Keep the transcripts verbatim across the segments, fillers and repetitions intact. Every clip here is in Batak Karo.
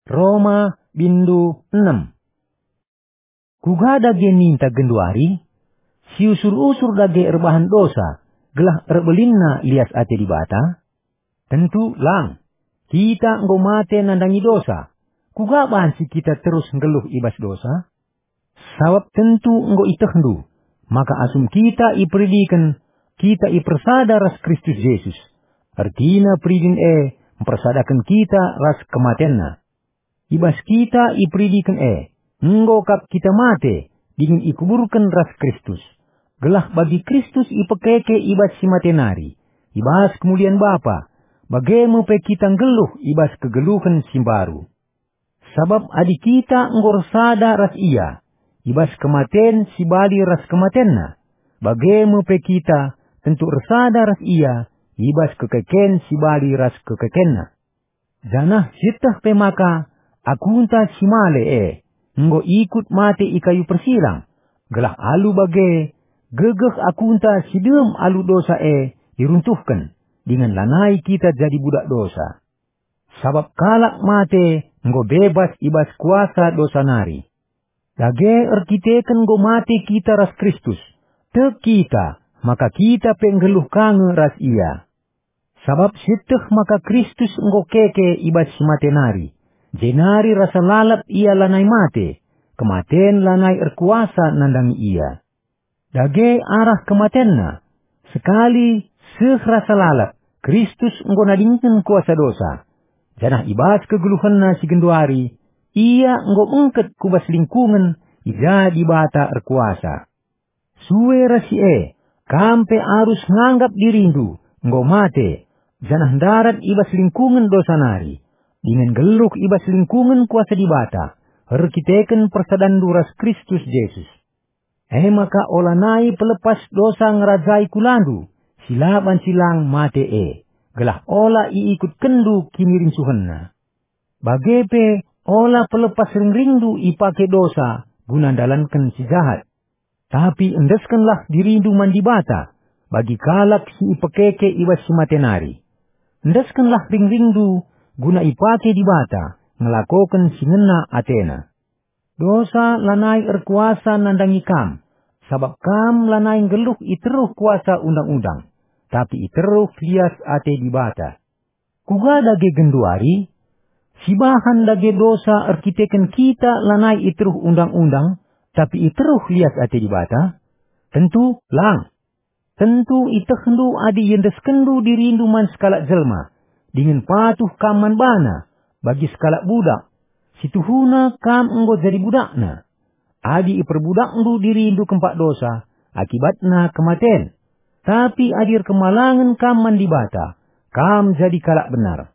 Roma bindu enem. Kuga dage ninta genduari? Siusur-usur dage erbahan dosa, gelah erbelinna lias ate Dibata? Tentu lang! Kita enggo mate nandangi dosa. Kuga banci kita terus nggeluh i bas dosa? Sabap tentu enggo itehndu, maka asum kita iperidiken, kita ipersada ras Kristus Jesus. Ertina peridin e mpersadaken kita ras kematenNa. I bas kita iperidiken e, enggo kap kita mate dingen ikuburken ras Kristus, gelah bagi Kristus ipekeke i bas si mate nari, i bas kemulian Bapa, bage me pe kita nggeluh i bas kegeluhen si mbaru. Sabap adi kita enggo ersada ras Ia i bas kematen si bali ras kematenNa, bage me pe kita tentu ersada ras Ia i bas kekeken si bali ras kekekenNa. Janah sieteh pe maka akunta si male e enggo ikut mate i kayu persilang, gelah alu bage gegeh akunta si dem alu dosa e iruntuhken, dingen lanai kita jadi budak dosa. Sabap kalak mate enggo bebas i bas kuasa dosa nari. Dage erkiteken enggo mate kita ras Kristus, tek kita maka kita pe nggeluh ka nge ras Ia. Sabap sieteh maka Kristus enggo keke i bas si mate nari, jenari rasa lalap Ia lanai mate, kematen lanai erkuasa nandangi Ia. Dage arah kematenNa, sekali seh rasa lalap, Kristus enggo nadingken kuasa dosa, janah i bas kegeluhenNa si genduari, Ia enggo bengket ku bas lingkungen i ja Dibata erkuasa. Sue ras si e, kam pe arus nganggap dirindu enggo mate, janah ndarat i bas lingkungen dosa nari, dingen nggeluh i bas lingkungen kuasa Dibata, erkiteken persadanndu ras Kristus Jesus. E maka olanai pelepas dosa ngerajai kulandu, si la banci lang mate e, gelah ola iikutkenndu kinirincuhenna. Bage pe ola pelepas ringringndu ipake dosa guna ndalanken si jahat. Tapi endeskenlah dirindu man Dibata bagi kalak si ipekeke i bas si mate nari. Endeskenlah ringringndu guna ipake Dibata ngelakoken si ngena ateNa. Dosa lanai erkuasa nandangi kam, sabap kam lanai nggeluh i teruh kuasa Undang-undang, tapi i teruh lias ate Dibata. Kuga dage genduari? Sibahan dage dosa erkiteken kita lanai i teruh Undang-undang, tapi i teruh lias ate Dibata? Tentu lang! Tentu itehndu adi iendeskenndu dirindu man sekalak jelma, dingen patuh kam man bana, bagi sekalak budak. Situhuna kam enggo jadi budakna. Adi iperbudakndu dirindu kempak dosa, akibatna kematen. Tapi adi erkemalangen kam man Dibata, kam jadi kalak benar.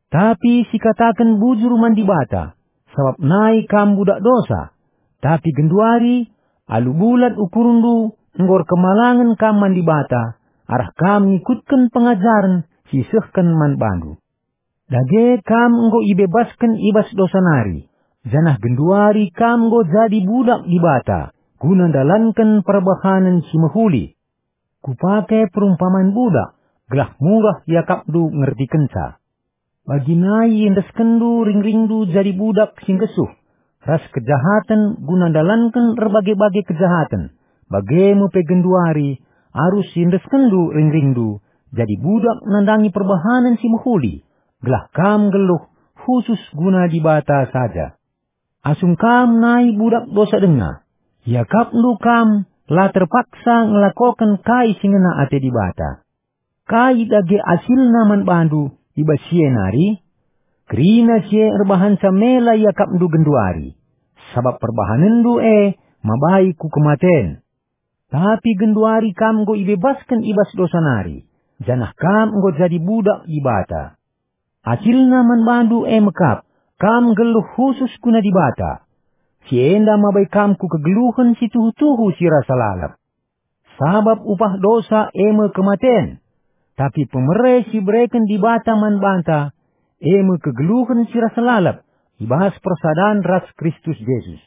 Tapi sikataken bujur man Dibata, sabap nai kam budak dosa. Tapi genduari, alu bulat ukurndu, enggo erkemalangen kam man Dibata, arah kam ngikutken pengajaren si isehken man bandu. Dage kam enggo ibebasken i bas dosa nari, janah genduari kam enggo jadi budak Dibata, guna ndalanken perbahanen si mehuli. Kupake perumpaman budak, gelah murah iakapndu ngertikenca. Bagi nai iendeskenndu ringringndu jadi budak si nggesuh, ras kejahaten guna ndalanken erbage-bage kejahaten, bage me pe genduari arus iendeskenndu ringringndu jadi budak nandangi perbahanen si mehuli, gelah kam nggeluh khusus guna Dibata saja. Asum kam nai budak dosa denga, iakapndu kam la terpaksa ngelakoken kai si ngena ate Dibata. Kai dage asilna man bandu i bas si e nari? Kerina si e erbahanca mela iakapndu genduari, sabap perbahanenndu e mabai ku kematen. Tapi genduari kam enggo ibebasken i bas dosa nari, janah kam enggo jadi budak Dibata. Asilna man bandu e mekap, kam nggeluh khusus guna Dibata. Si enda mabai kam ku kegeluhen si tuhu-tuhu si rasa lalap. Sabap upah dosa e me kematen, tapi pemere si ibereken Dibata man banta, e me kegeluhen si rasa lalap i bas persadan ras Kristus Jesus.